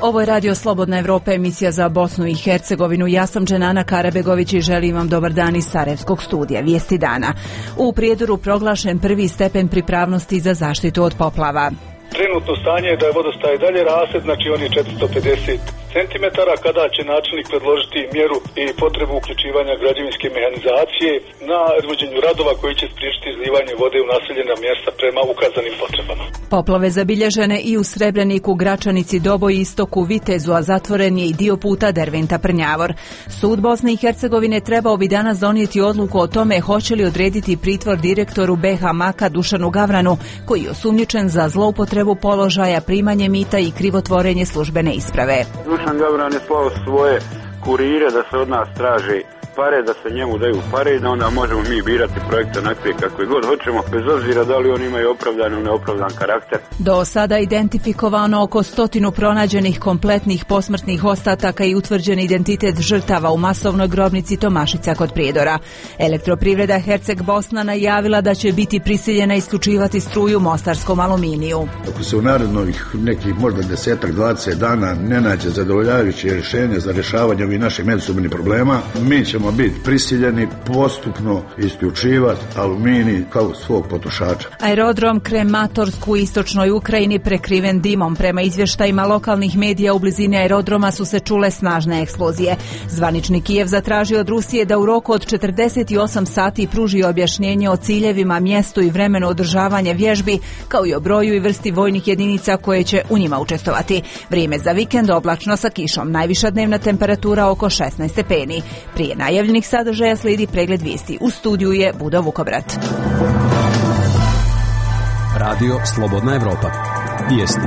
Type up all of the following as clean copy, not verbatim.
Ovo je Radio Slobodna Evropa, emisija za Bosnu i Hercegovinu. Ja sam Dženana Karabegović i želim vam dobar dan iz Sarajevskog studija. Vijesti dana. U Prijedoru proglašen prvi stepen pripravnosti za zaštitu od poplava. Trenutno stanje je da je vodostaj dalje raste, znači on je 450 cm, kada će načelnik predložiti mjeru i potrebu uključivanja građevinske mehanizacije na izvođenju radova koji će spriječiti izlivanje vode u naseljena mjesta prema ukazanim potrebama. Poplave zabilježene i u Srebreniku, Gračanici, Doboj, Istoku, Vitezu, a zatvoren je i dio puta Derventa-Prnjavor. Sud Bosne i Hercegovine trebao bi danas donijeti odluku o tome hoće li odrediti pritvor direktoru BH Maka Dušanu Gavranu, koji je osumnjičen za zloupotrebu položaja, primanje mita i krivotvorenje službene isprave. Dušan Gavran je slao svoje kurire da se od nas traže pare, da se njemu daju pare i da onda možemo mi birati projekte onakve kakve god hoćemo, bez obzira da li oni imaju opravdan ili neopravdan karakter. Do sada identifikovano oko 100 pronađenih kompletnih posmrtnih ostataka i utvrđen identitet žrtava u masovnoj grobnici Tomašica kod Prijedora. Elektroprivreda Herceg Bosna najavila da će biti prisiljena isključivati struju mostarskom Aluminiju. Ako se u narednih nekih možda 10-20 dana ne nađe zadovoljavajuće rješenje za rješavanje ovih naših međusobnih problema, mi ćemo biti prisiljeni postupno isključivati Aluminij kao svog potrošača. Aerodrom Krematorsk u istočnoj Ukrajini prekriven dimom. Prema izvještajima lokalnih medija u blizini aerodroma su se čule snažne eksplozije. Zvanični Kijev zatražio od Rusije da u roku od 48 sati pruži objašnjenje o ciljevima, mjestu i vremenu održavanja vježbi, kao i o broju i vrsti vojnih jedinica koje će u njima učestvovati. Vrijeme za vikend oblačno sa kišom. Najviša dnevna temperatura oko 16 stepeni. Prije najavljenih sadržaja slijedi pregled vijesti. U studiju je Budo Vukobrat. Radio Slobodna Evropa. Vijesti.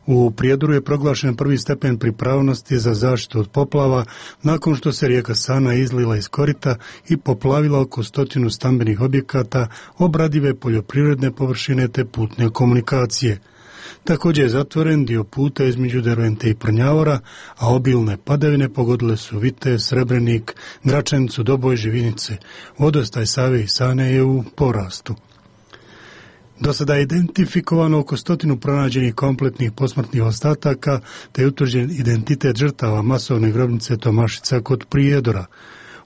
U Prijedoru je proglašen prvi stepen pripravnosti za zaštitu od poplava nakon što se rijeka Sana izlila iz korita i poplavila oko 100 stambenih objekata, obradive poljoprivredne površine te putne komunikacije. Također je zatvoren dio puta između Dervente i Prnjavora, a obilne padavine pogodile su Vitez, Srebrenik, Gračanicu, Doboj, Živinice. Vodostaj Save i Sane je u porastu. Do sada je identifikovano oko 100 pronađenih kompletnih posmrtnih ostataka, te je utvrđen identitet žrtava masovne grobnice Tomašica kod Prijedora.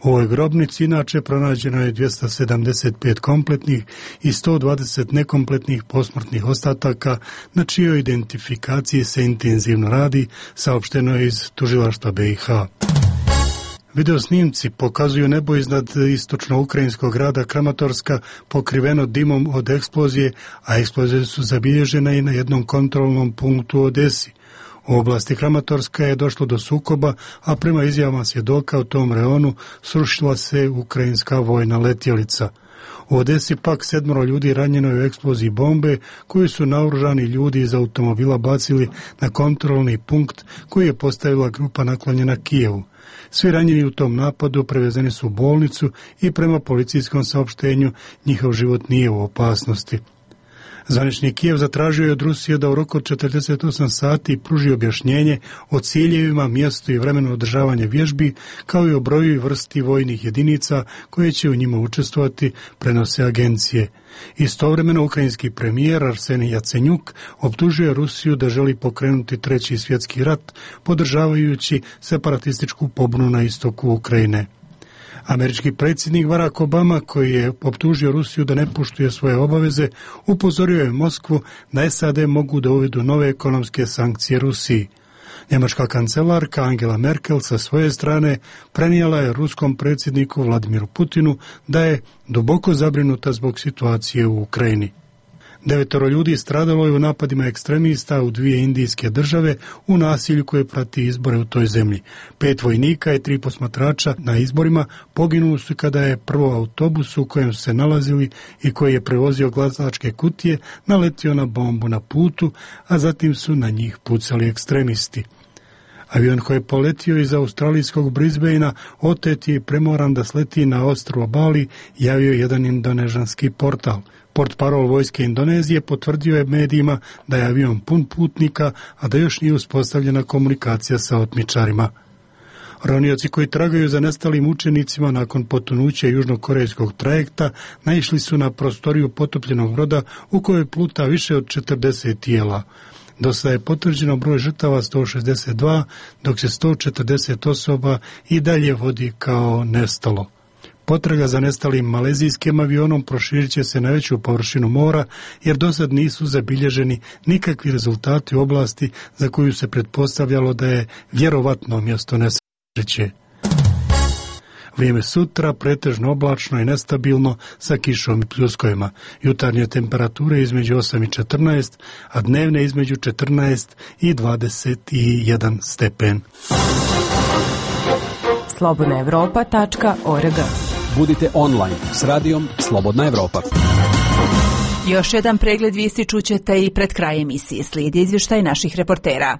U ovoj grobnici inače pronađeno je 275 kompletnih i 120 nekompletnih posmrtnih ostataka, na čijoj identifikaciji se intenzivno radi, saopšteno je iz tužilaštva BiH. Videosnimci pokazuju nebo iznad istočno-ukrajinskog grada Kramatorska pokriveno dimom od eksplozije, a eksplozije su zabilježene i na jednom kontrolnom punktu u Odesi. U oblasti Kramatorska je došlo do sukoba, a prema izjavama svjedoka u tom reonu srušila se ukrajinska vojna letjelica. U Odesi pak 7 ljudi ranjeno je u eksploziji bombe koju su naoružani ljudi iz automobila bacili na kontrolni punkt koji je postavila grupa naklonjena Kijevu. Svi ranjeni u tom napadu prevezeni su u bolnicu i prema policijskom saopštenju njihov život nije u opasnosti. Zvanični Kijev zatražio je od Rusije da u roku od 48 sati pruži objašnjenje o ciljevima, mjestu i vremenu održavanja vježbi, kao i o broju i vrsti vojnih jedinica koje će u njima učestvovati, prenose agencije. Istovremeno ukrajinski premijer Arsenij Jacenjuk optužio je Rusiju da želi pokrenuti Treći svjetski rat, podržavajući separatističku pobunu na istoku Ukrajine. Američki predsjednik Barack Obama, koji je optužio Rusiju da ne poštuje svoje obaveze, upozorio je Moskvu da SAD mogu da uvedu nove ekonomske sankcije Rusiji. Njemačka kancelarka Angela Merkel sa svoje strane prenijela je ruskom predsjedniku Vladimiru Putinu da je duboko zabrinuta zbog situacije u Ukrajini. 9 ljudi stradalo je u napadima ekstremista u 2 indijske države u nasilju koje prati izbore u toj zemlji. 5 vojnika i 3 posmatrača na izborima poginuli su kada je prvo autobus u kojem su se nalazili i koji je prevozio glasačke kutije naletio na bombu na putu, a zatim su na njih pucali ekstremisti. Avion koji je poletio iz australijskog Brisbanea otet je premoran da sleti na ostrvo Bali, javio jedan indonežanski portal. Portparol vojske Indonezije potvrdio je medijima da je avion pun putnika, a da još nije uspostavljena komunikacija sa otmičarima. Ronioci koji tragaju za nestalim učenicima nakon potonuća južnokorejskog trajekta naišli su na prostoriju potopljenog broda u kojoj pluta više od 40 tijela. Do sada je potvrđeno broj žrtava 162, dok se 140 osoba i dalje vodi kao nestalo. Potraga za nestalim malezijskim avionom proširit će se na veću površinu mora, jer dosad nisu zabilježeni nikakvi rezultati u oblasti za koju se pretpostavljalo da je vjerovatno mjesto nesreće. Vrijeme sutra pretežno oblačno i nestabilno sa kišom i pljuskovima. Jutarnje temperature između 8 i 14, a dnevne između 14 i 21 stepen. slobodnaevropa.org. Budite online s radijom Slobodna Evropa. Još jedan pregled vijesti čućete i pred kraj emisije. Slijedi izvještaj naših reportera.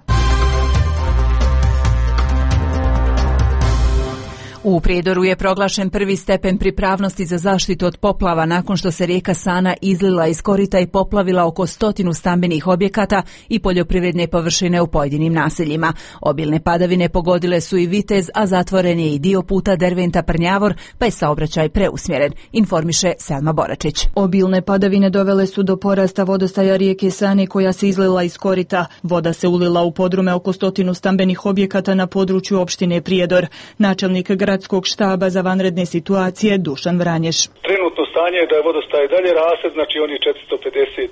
U Prijedoru je proglašen prvi stepen pripravnosti za zaštitu od poplava nakon što se rijeka Sana izlila iz korita i poplavila oko 100 stambenih objekata i poljoprivredne površine u pojedinim naseljima. Obilne padavine pogodile su i Vitez, a zatvoren je i dio puta Derventa-Prnjavor, pa je saobraćaj preusmjeren, informiše Selma Boračić. Obilne padavine dovele su do porasta vodostaja rijeke Sane koja se izlila iz korita. Voda se ulila u podrume oko 100 stambenih objekata na području opštine Prijedor. Načelnik Gradskog štaba za vanredne situacije Dušan Vranješ. Trenutno stanje je da je vodostaj dalje raste, znači on je 450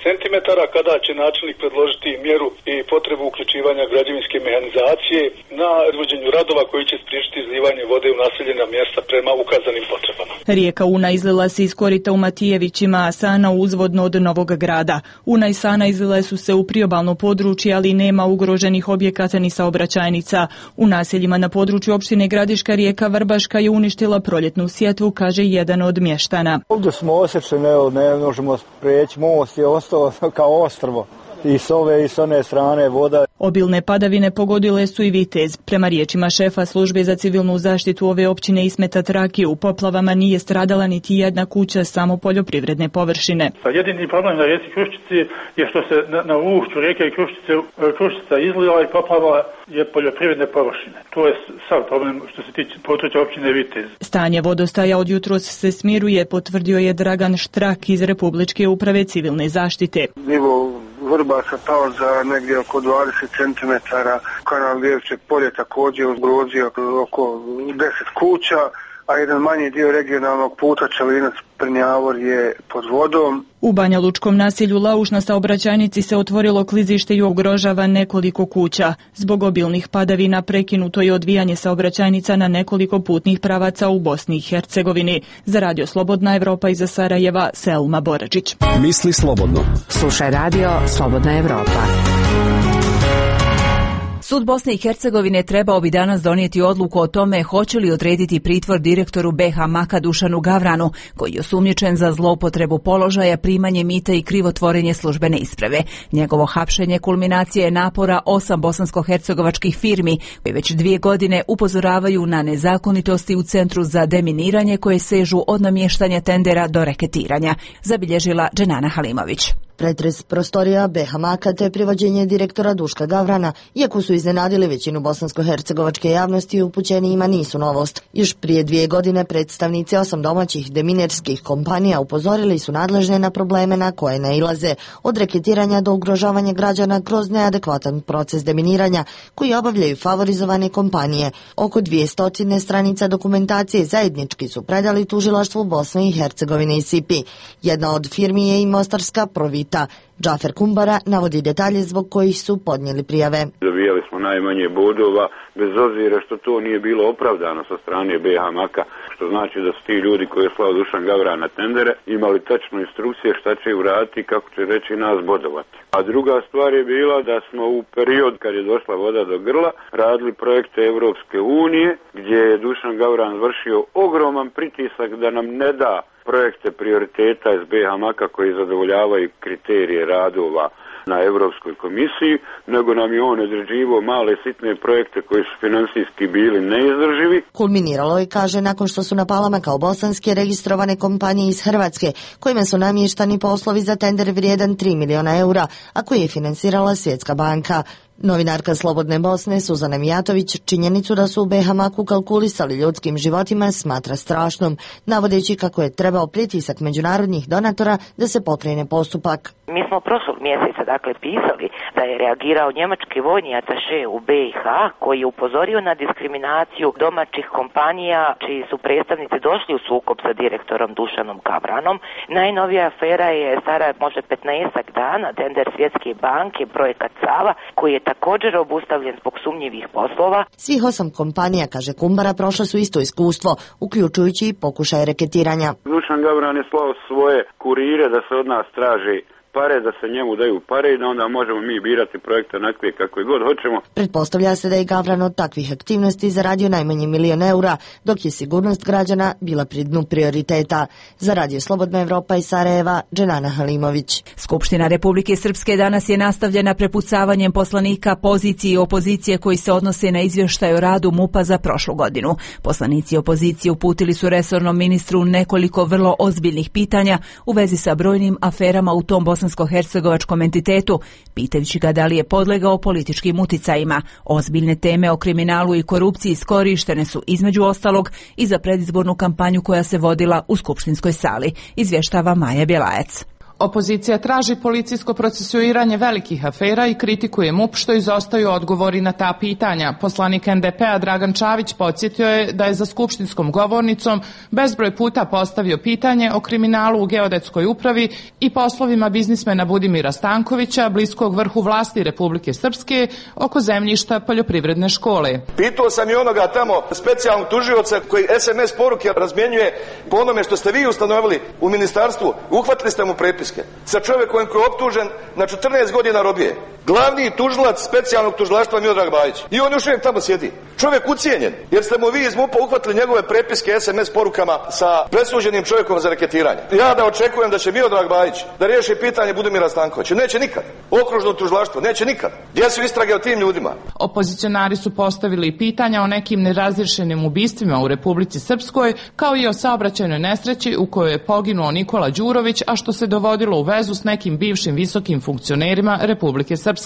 centimetara, kada će načelnik predložiti mjeru i potrebu uključivanja građevinske mehanizacije na izvođenju radova koji će spriječiti izlivanje vode u naseljena mjesta prema ukazanim potrebama. Rijeka Una izlila se iz korita u Matijevićima, a Sana uzvodno od Novog Grada. Una i Sana izlile su se u priobalno područje, ali nema ugroženih objekata ni saobraćajnica. U naseljima na području opštine Gradiška rijeka Vrbaška je uništila proljetnu sjetvu, kaže jedan od mještana. Ovdje smo osjećeni, ne možemo preći, most je ostao kao ostrvo. I s ove i s one strane voda. Obilne padavine pogodile su i Vitez. Prema riječima šefa službe za civilnu zaštitu ove općine Ismeta Traki, u poplavama nije stradala niti jedna kuća, samo poljoprivredne površine. Jedini problem na rijeci Kruščici je što se na ušću rijeke Kruščica izlila i poplavala je poljoprivredne površine. To je sav problem što se tiče područja općine Vitez. Stanje vodostaja od jutros se smiruje, potvrdio je Dragan Štrak iz Republičke uprave civilne zaštite. Vrbaša pao za negdje oko 20 cm, kanal Vjevčeg polje također ugrozio oko 10 kuća, a jedan manji dio regionalnog puta Čelinac-Prnjavor je pod vodom. U Banja Lučkom naselju Lauš na saobraćajnici se otvorilo klizište i ugrožava nekoliko kuća. Zbog obilnih padavina prekinuto je odvijanje saobraćajnica na nekoliko putnih pravaca u Bosni i Hercegovini. Za Radio Slobodna Evropa iza Sarajeva, Selma Boračić. Misli slobodno. Slušaj Radio Slobodna Evropa. Sud Bosne i Hercegovine trebao bi danas donijeti odluku o tome hoće li odrediti pritvor direktoru BH Maka Dušanu Gavranu, koji je osumnjičen za zloupotrebu položaja, primanje mita i krivotvorenje službene isprave. Njegovo hapšenje kulminacija je napora 8 bosansko-hercegovačkih firmi, koji već 2 godine upozoravaju na nezakonitosti u Centru za deminiranje koje sežu od namještanja tendera do reketiranja, zabilježila Dženana Halimović. Pretres prostorija BH Maka te privođenje direktora Duška Gavrana, iako su iznenadili većinu bosansko-hercegovačke javnosti, upućenijima nisu novost. Još prije 2 godine predstavnici 8 domaćih deminerskih kompanija upozorili su nadležne na probleme na koje nailaze, od reketiranja do ugrožavanja građana kroz neadekvatan proces deminiranja koji obavljaju favorizovane kompanije. Oko 200 stranica dokumentacije zajednički su predali tužilaštvu Bosne i Hercegovine i SIPI. Jedna od firmi je i mostarska Provita. Džafer Kumbara navodi detalje zbog kojih su podnijeli prijave. Dobijali smo najmanje bodova, bez obzira što to nije bilo opravdano sa strane BH Maka, što znači da su ti ljudi koji je slao Dušan Gavran na tendere imali tačno instrukcije šta će uraditi i kako će reći nas bodovati. A druga stvar je bila da smo u period kad je došla voda do grla radili projekte Europske unije gdje je Dušan Gavran vršio ogroman pritisak da nam ne da projekte prioriteta iz BH Maka koji zadovoljavaju kriterije radova na Europskoj komisiji, nego nam je on određivao male sitne projekte koji su financijski bili neizdrživi. Kulminiralo je, kaže, nakon što su na Palama kao bosanske registrovane kompanije iz Hrvatske, kojima su namještani poslovi za tender vrijedan 3 miliona eura, a koji je financirala Svjetska banka. Novinarka Slobodne Bosne Suzana Mijatović činjenicu da su u Behamaku kalkulisali ljudskim životima smatra strašnom, navodeći kako je trebao pritisak međunarodnih donatora da se pokrene postupak. Mi smo prošlog mjeseca pisali da je reagirao njemački vojni ataše u BiH koji je upozorio na diskriminaciju domaćih kompanija čiji su predstavnici došli u sukob sa direktorom Dušanom Gavranom. Najnovija afera je stara možda 15 dana, tender Svjetske banke, projekat Sava, koji je također obustavljen zbog sumnjivih poslova. Svih 8 kompanija, kaže Kumbara, prošle su isto iskustvo, uključujući i pokušaj reketiranja. Dušan Gavran je slao svoje kurire da se od nas traži pare, da se njemu daju pare i da onda možemo mi birati projekte onakve kakve god hoćemo. Pretpostavlja se da je Gavran od takvih aktivnosti zaradio najmanje $1 milion, dok je sigurnost građana bila pri dnu prioriteta. Za Radio Slobodna Evropa iz Sarajeva, Dženana Halimović. Skupština Republike Srpske danas je nastavljena prepucavanjem poslanika pozicije i opozicije koji se odnose na izvještaj o radu MUP-a za prošlu godinu. Poslanici opozicije uputili su resornom ministru nekoliko vrlo ozbiljnih pitanja u vezi sa brojnim aferama u tom bosansko-hercegovačkom entitetu, pitajući ga da li je podlegao političkim uticajima. Ozbiljne teme o kriminalu i korupciji iskorištene su između ostalog i za predizbornu kampanju koja se vodila u skupštinskoj sali, izvještava Maja Bjelajac. Opozicija traži policijsko procesuiranje velikih afera i kritikuje MUP što izostaju odgovori na ta pitanja. Poslanik NDP-a Dragan Čavić podsjetio je da je za skupštinskom govornicom bezbroj puta postavio pitanje o kriminalu u geodetskoj upravi i poslovima biznismena Budimira Stankovića, bliskog vrhu vlasti Republike Srpske, oko zemljišta poljoprivredne škole. Pitao sam i onoga tamo specijalnog tužioca koji SMS poruke razmjenjuje po onome što ste vi ustanovili u ministarstvu. Uhvatili ste mu prepis sa čovjekom koji je optužen na 14 godina robije. Glavni tužilac specijalnog tužilaštva Miodrag Bajić. I on još uvijek tamo sjedi. Čovjek ucijenjen, jer ste mu vi iz MUP-a uhvatili njegove prepiske SMS porukama sa presuđenim čovjekom za reketiranje. Ja da očekujem da će Miodrag Bajić da riješi pitanje Budimira Stankovića. Neće nikad. Okružno tužilaštvo. Neće nikad. Gdje su istrage o tim ljudima? Opozicionari su postavili pitanja o nekim nerazriješenim ubistvima u Republici Srpskoj, kao i o saobraćajnoj nesreći u kojoj je poginuo Nikola Đurović, a što se dovodilo u vezu s nekim bivšim visokim funkcionerima Republike Srpske.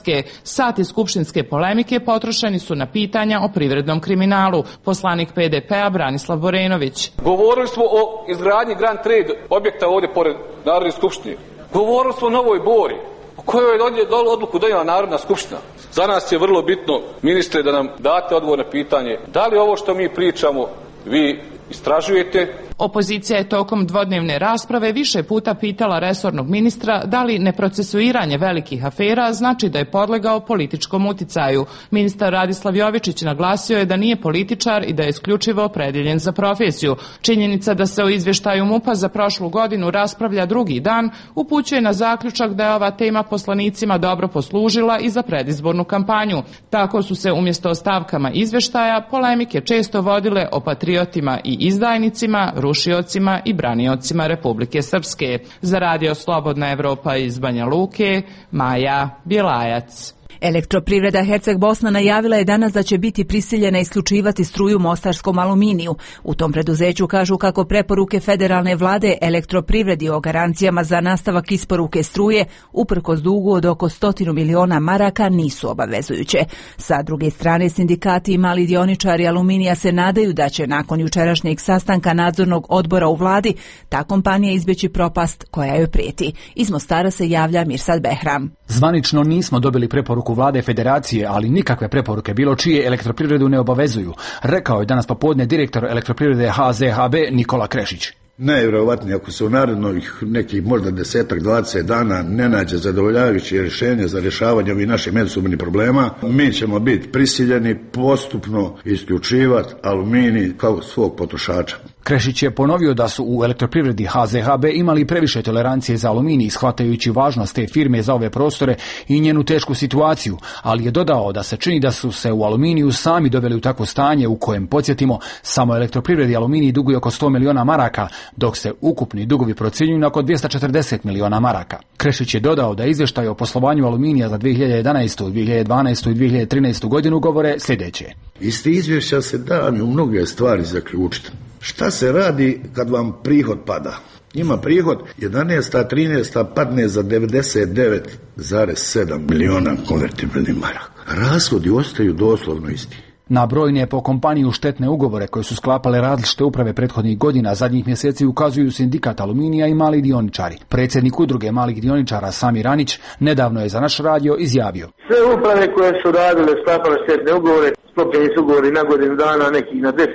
Sati skupštinske polemike potrošeni su na pitanja o privrednom kriminalu. Poslanik PDP-a Branislav Borenović. Govorili smo o izgradnji Grand Trade objekta ovdje pored Narodne skupštine. Govorili smo o Novoj Bori, o kojoj je odluku donijela Narodna skupština. Za nas je vrlo bitno, ministre, da nam date odgovor na pitanje da li ovo što mi pričamo vi istražujete. Opozicija je tokom dvodnevne rasprave više puta pitala resornog ministra da li neprocesuiranje velikih afera znači da je podlegao političkom uticaju. Ministar Radislav Jovičić naglasio je da nije političar i da je isključivo opredjeljen za profesiju. Činjenica da se o izvještaju MUP-a za prošlu godinu raspravlja drugi dan upućuje na zaključak da je ova tema poslanicima dobro poslužila i za predizbornu kampanju. Tako su se umjesto o stavkama izvještaja polemike često vodile o patriotima i izdajnicima, rušiocima i braniocima Republike Srpske. Za Radio Slobodna Evropa iz Banja Luke, Maja Bjelajac. Elektroprivreda Herceg Bosna najavila je danas da će biti prisiljena isključivati struju mostarskom Aluminiju. U tom preduzeću kažu kako preporuke federalne vlade elektroprivredi o garancijama za nastavak isporuke struje uprkos dugu od oko 100 miliona maraka nisu obavezujuće. Sa druge strane, sindikati i mali dioničari Aluminija se nadaju da će nakon jučerašnjeg sastanka nadzornog odbora u vladi ta kompanija izbjeći propast koja joj prijeti. Iz Mostara se javlja Mirsad Behram. Zvanično nismo dobili preporuku vlade federacije, ali nikakve preporuke bilo čije elektroprivredu ne obavezuju, rekao je danas popodne direktor elektroprivrede HZHB Nikola Krešić. Najvjerovatnije ako se u narednih nekih možda 10-20 dana ne nađe zadovoljavajuće rješenje za rješavanje ovih naših međusobnih problema, mi ćemo biti prisiljeni postupno isključivati Aluminij kao svog potrošača. Krešić je ponovio da su u elektroprivredi HZHB imali previše tolerancije za aluminij, shvatajući važnost te firme za ove prostore i njenu tešku situaciju, ali je dodao da se čini da su se u Aluminiju sami doveli u takvo stanje u kojem, podsjetimo, samo elektroprivredi Aluminij duguje oko 100 miliona maraka, dok se ukupni dugovi procjenjuju na oko 240 miliona maraka. Krešić je dodao da izvještaj o poslovanju Aluminija za 2011., 2012. i 2013. godinu govore sljedeće. Iz tih izvješća se da u mnoge stvari zaključiti. Šta se radi kad vam prihod pada? Njima prihod 11. 13. padne za 99,7 miliona konvertibilnih maraka. Rashodi ostaju doslovno isti. Na brojne po kompaniju štetne ugovore koje su sklapale različite uprave prethodnih godina, zadnjih mjeseci ukazuju Sindikat Aluminija i mali dioničari. Predsjednik udruge malih dioničara Samir Anić nedavno je za naš radio izjavio: sve uprave koje su radile, sklapale štetne ugovore, sklopljeni su ugovori na godinu dana, nekih na 10,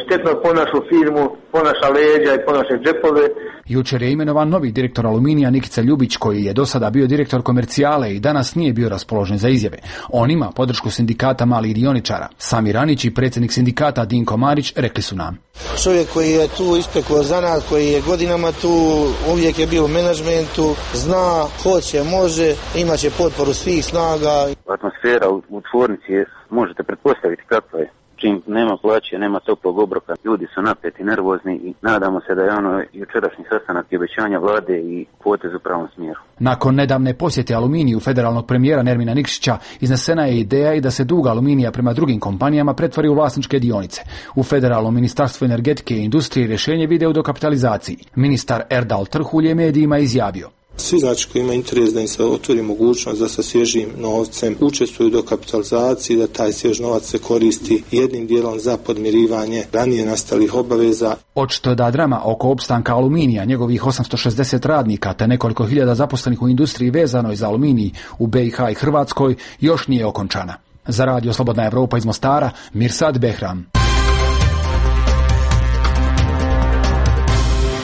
štetno po našu firmu, po naša leđa i po naše džepove. Jučer je imenovan novi direktor Aluminija Nikica Ljubić, koji je do sada bio direktor komercijale i danas nije bio raspoložen za izjave. On ima podršku Sindikata malih dioničara. Samir Anić i predsjednik sindikata Dinko Marić rekli su nam: čovjek koji je tu ispekao zanat, koji je godinama tu, uvijek je bio u menadžmentu, zna, hoće, može, imaće potporu svih snaga. Atmosfera u tvornici možete pretpostaviti kakva je. Čim nema plaće, nema toplog obroka, ljudi su napeti, nervozni i nadamo se da je jučerašnji sastanak i obećanja vlade i potez u pravom smjeru. Nakon nedavne posjete Aluminiju federalnog premijera Nermina Nikšića iznesena je ideja i da se dug Aluminija prema drugim kompanijama pretvori u vlasničke dionice. U Federalnom ministarstvu energetike i industrije rješenje vide u dokapitalizaciji. Ministar Erdal Trhulj je medijima izjavio: svi znači koji imaju interes da im se otvori mogućnost da sa svježim novcem učestvuju do kapitalizacije, da taj svjež novac se koristi jednim dijelom za podmirivanje ranije nastalih obaveza. Očito je da drama oko opstanka Aluminija, njegovih 860 radnika te nekoliko hiljada zaposlenih u industriji vezanoj za aluminij u BiH i Hrvatskoj još nije okončana. Za radio Slobodna Evropa iz Mostara, Mirsad Behram.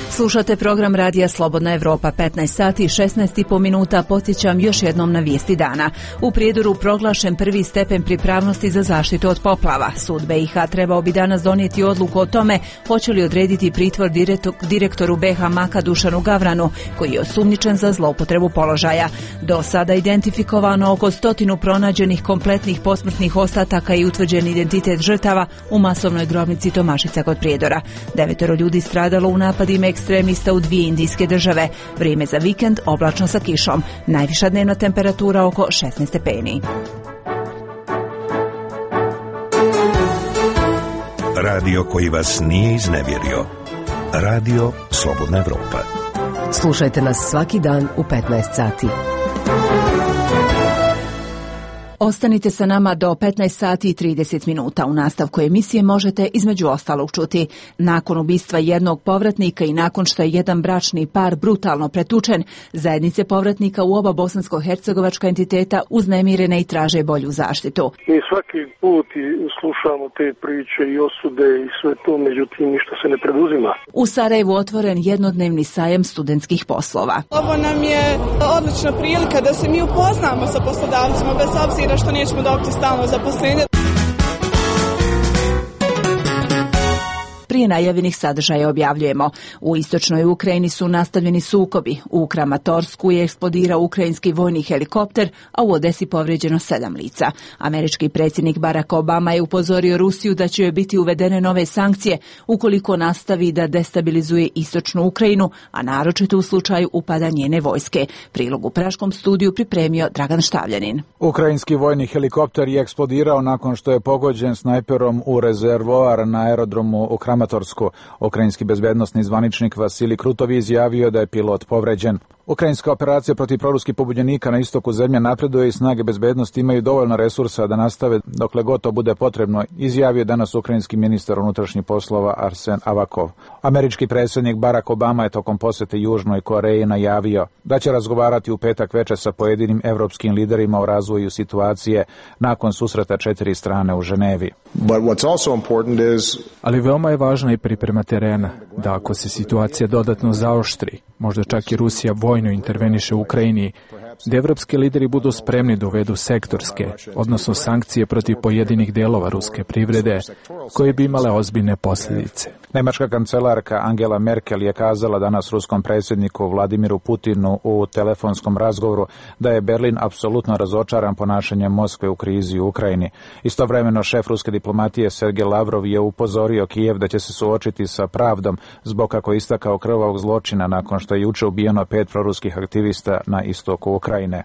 Slušate program radija Slobodna Evropa, 15 sati i 16,5 minuta. Podsjećam još jednom na vijesti dana. U Prijedoru proglašen prvi stepen pripravnosti za zaštitu od poplava. Sud BiH trebao bi danas donijeti odluku o tome hoće li odrediti pritvor direktoru BiH Maka Dušanu Gavranu, koji je osumnjičen za zloupotrebu položaja. Do sada identifikovano oko 100 pronađenih kompletnih posmrtnih ostataka i utvrđen identitet žrtava u masovnoj grobnici Tomašica kod Prijedora. 9 ljudi stradalo u napadima ekstremista u 2 indijske države. Vrijeme za vikend oblačno sa kišom. Najviša dnevna temperatura oko 16 stepeni. Radio koji vas nije iznevjerio. Radio Slobodna Evropa. Slušajte nas svaki dan u 15 sati. Ostanite sa nama do 15 sati i 30 minuta. U nastavku emisije možete između ostalog čuti: nakon ubistva jednog povratnika i nakon što je jedan bračni par brutalno pretučen, zajednice povratnika u oba bosansko-hercegovačka entiteta uznemirene i traže bolju zaštitu. Mi svaki put slušamo te priče i osude i sve to, međutim ništa se ne preduzima. U Sarajevu otvoren jednodnevni sajam studentskih poslova. Ovo nam je odlična prilika da se mi upoznamo sa poslodavcima, bez obzira što nećemo dobiti stalno zaposlenje. Prije najavljenih sadržaja objavljujemo: u istočnoj Ukrajini su nastavljeni sukobi. U Kramatorsku je eksplodirao ukrajinski vojni helikopter, a u Odesi povrijeđeno 7 lica. Američki predsjednik Barack Obama je upozorio Rusiju da će joj biti uvedene nove sankcije ukoliko nastavi da destabilizuje istočnu Ukrajinu, a naročito u slučaju upada njene vojske. Prilog u praškom studiju pripremio Dragan Štavljanin. Ukrajinski vojni helikopter je eksplodirao nakon što je pogođen snajperom u rezervoar na aerodromu u Kramatorsku. Ukrajinski bezbednosni zvaničnik Vasilij Krutov izjavio da je pilot povređen. Ukrajinska operacija protiv proruskih pobunjenika na istoku zemlje napreduje i snage bezbednosti imaju dovoljno resursa da nastave dokle god to bude potrebno, izjavio danas ukrajinski ministar unutrašnjih poslova Arsen Avakov. Američki predsjednik Barack Obama je tokom posjete Južnoj Koreji najavio da će razgovarati u petak večer sa pojedinim evropskim liderima o razvoju situacije nakon susreta 4 strane u Ženevi. Ali veoma je važna i priprema terena, da ako se situacija dodatno zaoštri, možda čak i Rusija vojno interveniše u Ukrajini, da evropski lideri budu spremni da uvedu sektorske, odnosno sankcije protiv pojedinih delova ruske privrede, koje bi imale ozbiljne posljedice. Nemačka kancelarka Angela Merkel je kazala danas ruskom predsjedniku Vladimiru Putinu u telefonskom razgovoru da je Berlin apsolutno razočaran ponašanjem Moskve u krizi u Ukrajini. Istovremeno šef ruske diplomatije Sergej Lavrov je upozorio Kijev da će se suočiti sa pravdom zbog, kako je istakao, krvavog zločina nakon što je juče ubijeno 5 proruskih aktivista na istoku Ukrajine.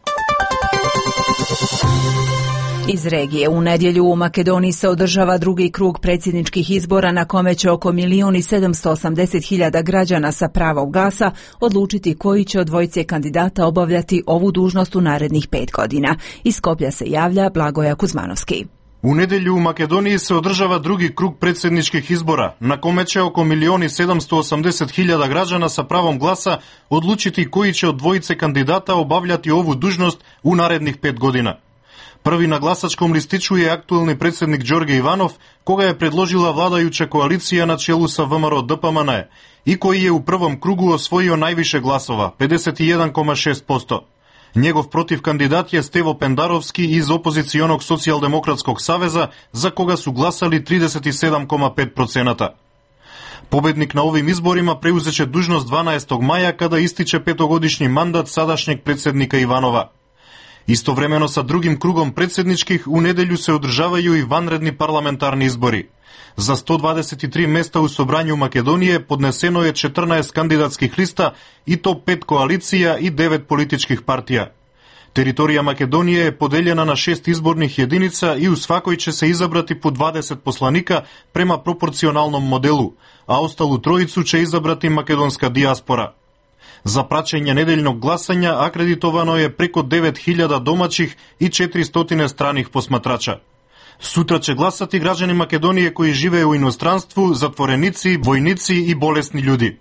Iz regije u nedjelju u Makedoniji se održava drugi krug predsjedničkih izbora na kome će oko 1.780.000 građana sa pravom glasa odlučiti koji će od dvojice kandidata obavljati ovu dužnost u narednih 5 godina. Iz Skoplja se javlja Blagoja Kuzmanovski. U nedjelju u Makedoniji se održava drugi krug predsjedničkih izbora, na kome će oko 1.780.000 građana sa pravom glasa odlučiti koji će od dvojice kandidata obavljati ovu dužnost u narednih 5 godina. Prvi na glasačkom listiću je aktualni predsjednik Đorđe Ivanov, koga je predložila vladajuća koalicija na čelu sa VMRO DPMN i koji je u prvom krugu osvojio najviše glasova, 51,6%. Njegov protivkandidat je Stevo Pendarovski iz opozicionog socijaldemokratskog saveza, za koga su glasali 37,5%. Pobednik na ovim izborima preuzeće dužnost 12. maja kada ističe 5-godišnji mandat sadašnjeg predsjednika Ivanova. Istovremeno sa drugim krugom predsjedničkih u nedjelju se održavaju i vanredni parlamentarni izbori. Za 123 mjesta u Sobranju Makedonije podneseno je 14 kandidatskih lista i to 5 koalicija i 9 političkih partija. Teritorija Makedonije je podeljena na 6 izbornih jedinica i u svakoj će se izabrati po 20 poslanika prema proporcionalnom modelu, a ostalu trojicu će izabrati makedonska dijaspora. Za praćenje nedeljnog glasanja akreditovano je preko 9.000 domaćih i 400 stranih posmatrača. Sutra će glasati građani Makedonije koji žive u inostranstvu, zatvorenici, vojnici i bolesni ljudi.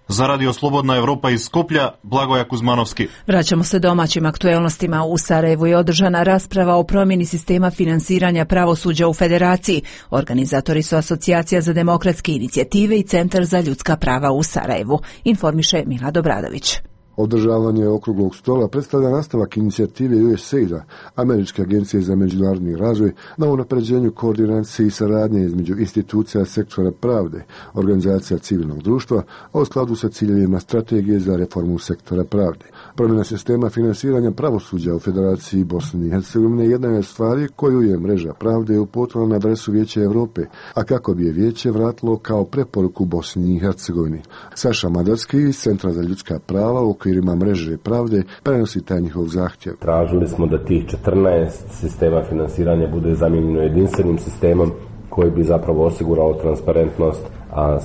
Za Radio Slobodna Evropa iz Skoplja, Blagoja Kuzmanovski. Vraćamo se domaćim aktuelnostima. U Sarajevu je održana rasprava o promjeni sistema finansiranja pravosuđa u Federaciji. Organizatori su Asocijacija za demokratske inicijative i Centar za ljudska prava u Sarajevu. Informiše Milad Obradović. Održavanje okruglog stola predstavlja nastavak inicijative USAID-a, Američke agencije za međunarodni razvoj, na unapređenju koordinacije i saradnje između institucija sektora pravde, organizacija civilnog društva, a u skladu sa ciljevima strategije za reformu sektora pravde. Promjena sistema finansiranja pravosuđa u Federaciji Bosne i Hercegovine jedna je stvari koju je mreža pravde uputila na adresu Vijeća Europe, a kako bi je Vijeće vratilo kao preporuku Bosni i Hercegovini. Saša Madarski iz Centra za ljudska prava u okvirima mreže pravde prenosi taj njihov zahtjev. Tražili smo da tih 14 sistema finansiranja bude zamijenjeno jedinstvenim sistemom koji bi zapravo osigurao transparentnost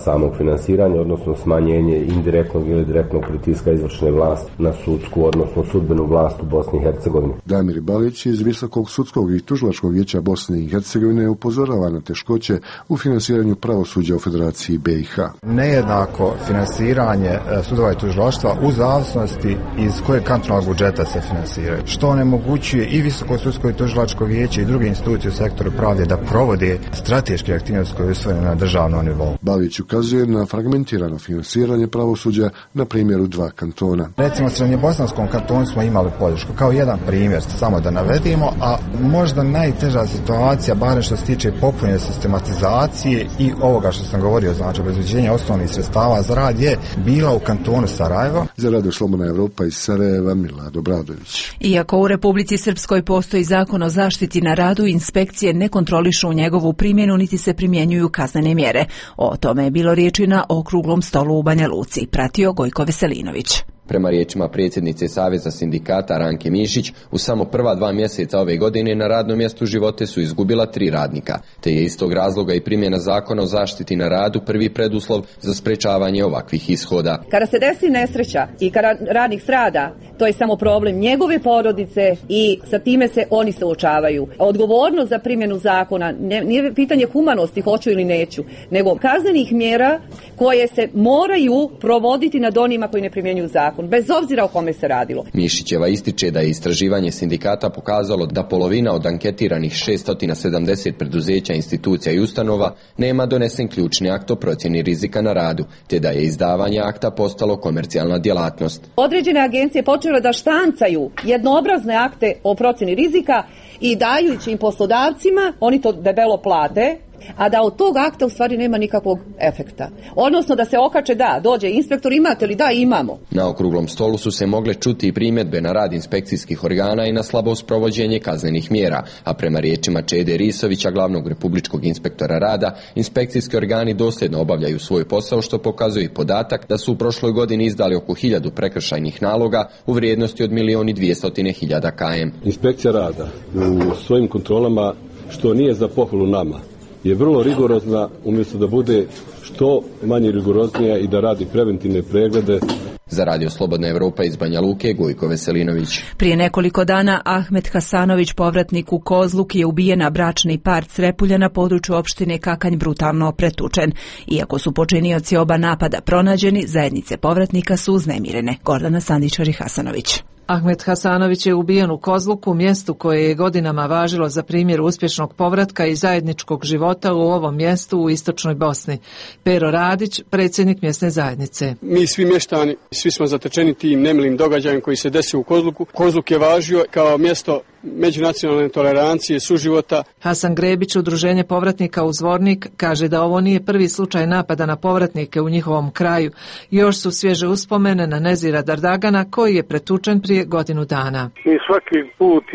samog finansiranja, odnosno smanjenje indirektnog ili direktnog pritiska izvršne vlasti na sudsku, odnosno sudbenu vlast u Bosni i Hercegovini. Damir Balić iz Visokog sudskog i tužilačkog vijeća Bosne i Hercegovine upozorava na teškoće u finansiranju pravosuđa u Federaciji BiH. Nejednako finansiranje sudova i tužilaštva u zavisnosti iz kojeg kantonalnog budžeta se finansiraju, što onemogućuje i Visoko sudsko i tužilačko vijeće i druge institucije u sektoru pravde da provode strateške aktivnosti koje su usvojene na državnom nivou. Balić ukazuje na fragmentirano finansiranje pravosuđa na primjeru 2 kantona. Recimo u Srednjebosanskom kantonu smo imali podršku, kao jedan primjer samo da navedimo, a možda najteža situacija, barem što se tiče popunjene sistematizacije i ovoga što sam govorio, znači obezbeđenja osnovnih sredstava za rad, je bila u kantonu Sarajevo. Za Radio Slobodna Evropa iz Sarajeva, Milad Obradović. Iako u Republici Srpskoj postoji zakon o zaštiti na radu, inspekcije ne kontrolišu njegovu primjenu niti se primjenjuju kaznene mjere. O tome je bilo riječi na okruglom stolu u Banja Luci. Pratio Gojko Veselinović. Prema riječima predsjednice Saveza sindikata Ranke Mišić, u samo prva 2 mjeseca ove godine na radnom mjestu živote su izgubila 3 radnika, te je iz tog razloga i primjena zakona o zaštiti na radu prvi preduslov za sprečavanje ovakvih ishoda. Kada se desi nesreća i kada radnik strada, to je samo problem njegove porodice i sa time se oni suočavaju. Odgovornost za primjenu zakona nije pitanje humanosti, hoću ili neću, nego kaznenih mjera koje se moraju provoditi nad onima koji ne primjenjuju zakon, bez obzira o kome se radilo. Mišićeva ističe da je istraživanje sindikata pokazalo da polovina od anketiranih 670 preduzeća, institucija i ustanova nema donesen ključni akt o procjeni rizika na radu, te da je izdavanje akta postalo komercijalna djelatnost. Određene agencije počele da štancaju jednoobrazne akte o procjeni rizika i dajući im poslodavcima, oni to debelo plate, a da od tog akta u stvari nema nikakvog efekta. Odnosno da se okače, da, dođe inspektor, imate li? Da, imamo. Na okruglom stolu su se mogle čuti i primjedbe na rad inspekcijskih organa i na slabo sprovođenje kaznenih mjera, a prema riječima Čede Risovića, glavnog republičkog inspektora rada, inspekcijski organi dosljedno obavljaju svoj posao, što pokazuje i podatak da su u prošloj godini izdali oko 1000 prekršajnih naloga u vrijednosti od 1.200.000 km. Inspekcija rada u svojim kontrolama, što nije za pohvalu nama, je vrlo rigorozna, umjesto da bude što manje rigoroznija i da radi preventivne preglede. Za Radio Slobodna Evropa iz Banja Luke, Gojko Veselinović. Prije nekoliko dana Ahmet Hasanović, povratnik u Kozluk, je ubijen, a bračni par Crepulja na području opštine Kakanj brutalno pretučen. Iako su počinioci oba napada pronađeni, zajednice povratnika su uznemirene. Gordana Sandičar i Hasanović. Ahmet Hasanović je ubijen u Kozluku, mjestu koje je godinama važilo za primjer uspješnog povratka i zajedničkog života u ovom mjestu u istočnoj Bosni. Pero Radić, predsjednik mjesne zajednice. Mi svi mještani, svi smo zatečeni tim nemilim događajem koji se desio u Kozluku. Kozluk je važio kao mjesto međunacionalne tolerancije, suživota. Hasan Grebić, udruženje povratnika u Zvornik, kaže da ovo nije prvi slučaj napada na povratnike u njihovom kraju. Još su svježe uspomene na Nezira Dardagana, koji je pretučen prije godinu dana. Mi svaki put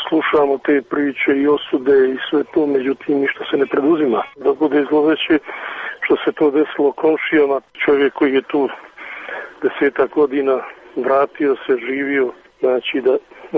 slušamo te priče i osude i sve to, međutim ništa se ne preduzima. Da bude zloveće što se to desilo komšijama, čovjek koji je tu 10 godina vratio se, živio, znači da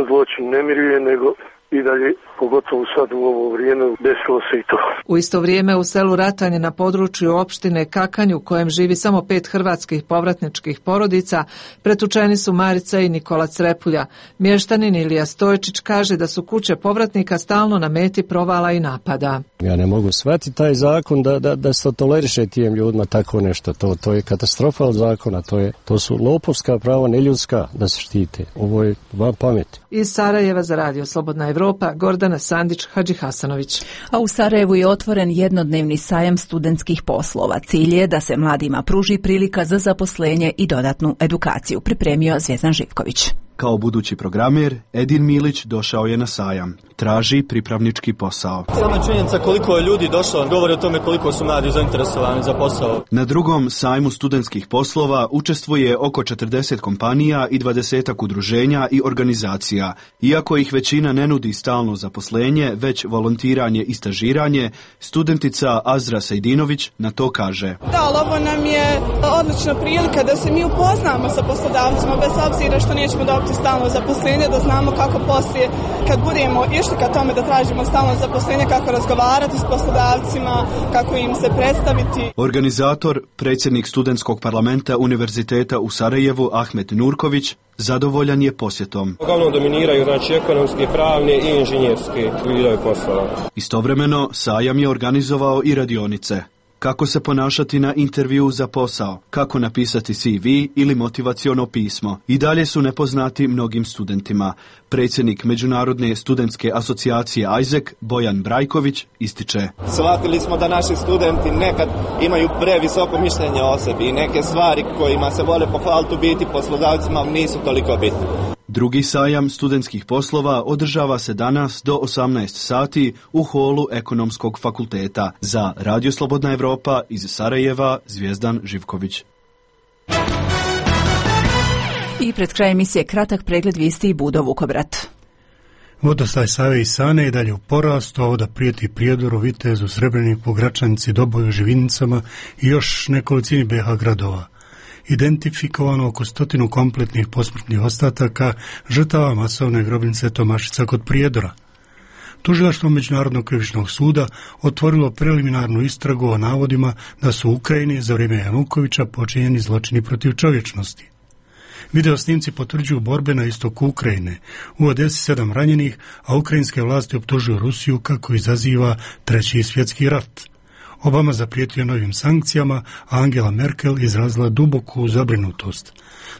zločin ne miruje, nego i dalje, pogotovo sad u ovo vrijeme, desilo se i to. U isto vrijeme u selu Ratanje na području opštine Kakanj, u kojem živi samo 5 hrvatskih povratničkih porodica, pretučeni su Marica i Nikola Crepulja. Mještanin Ilija Stojčić kaže da su kuće povratnika stalno na meti provala i napada. Ja ne mogu shvatiti taj zakon da se toleriše tijem ljudima tako nešto. To je katastrofa od zakona. To su lopovska prava, neljudska da se štite. Ovo je van pameti. Iz Sarajeva za Radio Slobodna Evropa, Gordana Sandić, Hadži Hasanović. A u Sarajevu je otvoren jednodnevni sajam studentskih poslova. Cilj je da se mladima pruži prilika za zaposlenje i dodatnu edukaciju, pripremio Zvjezdan Živković. Kao budući programer, Edin Milić došao je na sajam. Traži pripravnički posao. Sama činjenica koliko je ljudi došlo govori o tome koliko su mladi zainteresovani za posao. Na drugom sajmu studentskih poslova učestvuje oko 40 kompanija i 20 udruženja i organizacija. Iako ih većina ne nudi stalno zaposlenje, već volontiranje i stažiranje, studentica Azra Sejdinović na to kaže. Da, ali ovo nam je odlična prilika da se mi upoznamo sa poslodavcima, bez obzira što nećemo dobiti stalno zaposlenje, da znamo kako poslije, kad budemo išli ka tome da tražimo stalno zaposlenje, kako razgovarati s poslodavcima, kako im se predstaviti. Organizator, predsjednik studentskog parlamenta Univerziteta u Sarajevu Ahmet Nurković, zadovoljan je posjetom. Uglavnom dominiraju ekonomske, pravne i inženjerske vidove poslova. Istovremeno, sajam je organizovao i radionice. Kako se ponašati na intervju za posao, kako napisati CV ili motivaciono pismo. I dalje su nepoznati mnogim studentima. Predsjednik Međunarodne studentske asocijacije Isaac, Bojan Brajković, ističe. Shvatili smo da naši studenti nekad imaju previsoko mišljenje o sebi i neke stvari kojima se vole pohvaliti u biti poslodavcima nisu toliko bitne. Drugi sajam studentskih poslova održava se danas do 18 sati u holu Ekonomskog fakulteta. Za Radio Slobodna Evropa iz Sarajeva, Zvjezdan Živković. I pred kraj emisije kratak pregled vijesti i Budo Vukobrat. Vodostaj Save i Sane je dalje u porastu, a voda prijeti Prijedoru, Vitezu, Srebreniku, Gračanici, Doboju, Živinicama i još nekolicini BiH gradova. Identifikovano oko 100 kompletnih posmrtnih ostataka žrtava masovne grobnice Tomašica kod Prijedora. Tužilaštvo Međunarodnog krivičnog suda otvorilo preliminarnu istragu o navodima da su u Ukrajini za vrijeme Janukovića počinjeni zločini protiv čovječnosti. Video snimci potvrđuju borbe na istoku Ukrajine. U Odesi 7 ranjenih, a ukrajinske vlasti optužuju Rusiju kako izaziva Treći svjetski rat. Obama zaprijetio novim sankcijama, a Angela Merkel izrazila duboku zabrinutost.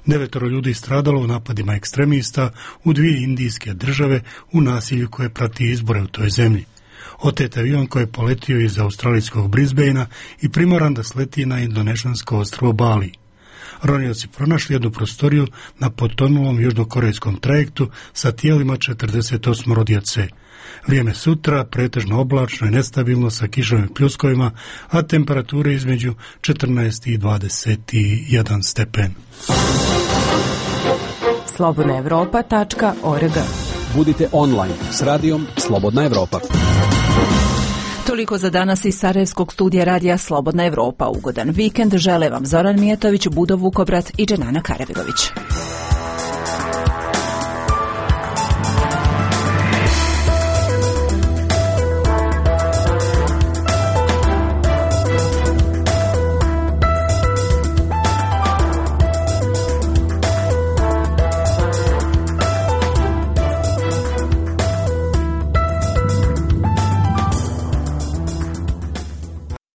9 ljudi stradalo u napadima ekstremista u 2 indijske države u nasilju koje prati izbore u toj zemlji. Otet avion koji je poletio iz australijskog Brisbanea i primoran da sleti na indonežansko ostrvo Bali. ronioci pronašli jednu prostoriju na potonulom južnokorejskom trajektu sa tijelima 48 djece. Vrijeme sutra pretežno oblačno i nestabilno sa kišovim pljuskovima, a temperature između 14 i 21 stepen. slobodnaevropa.org. Budite online s radijom Slobodna Evropa. Toliko za danas iz Sarajevskog studija radija Slobodna Evropa. Ugodan vikend žele vam Zoran Mijatović, Budo Vukobrat i Dženana Karavilović.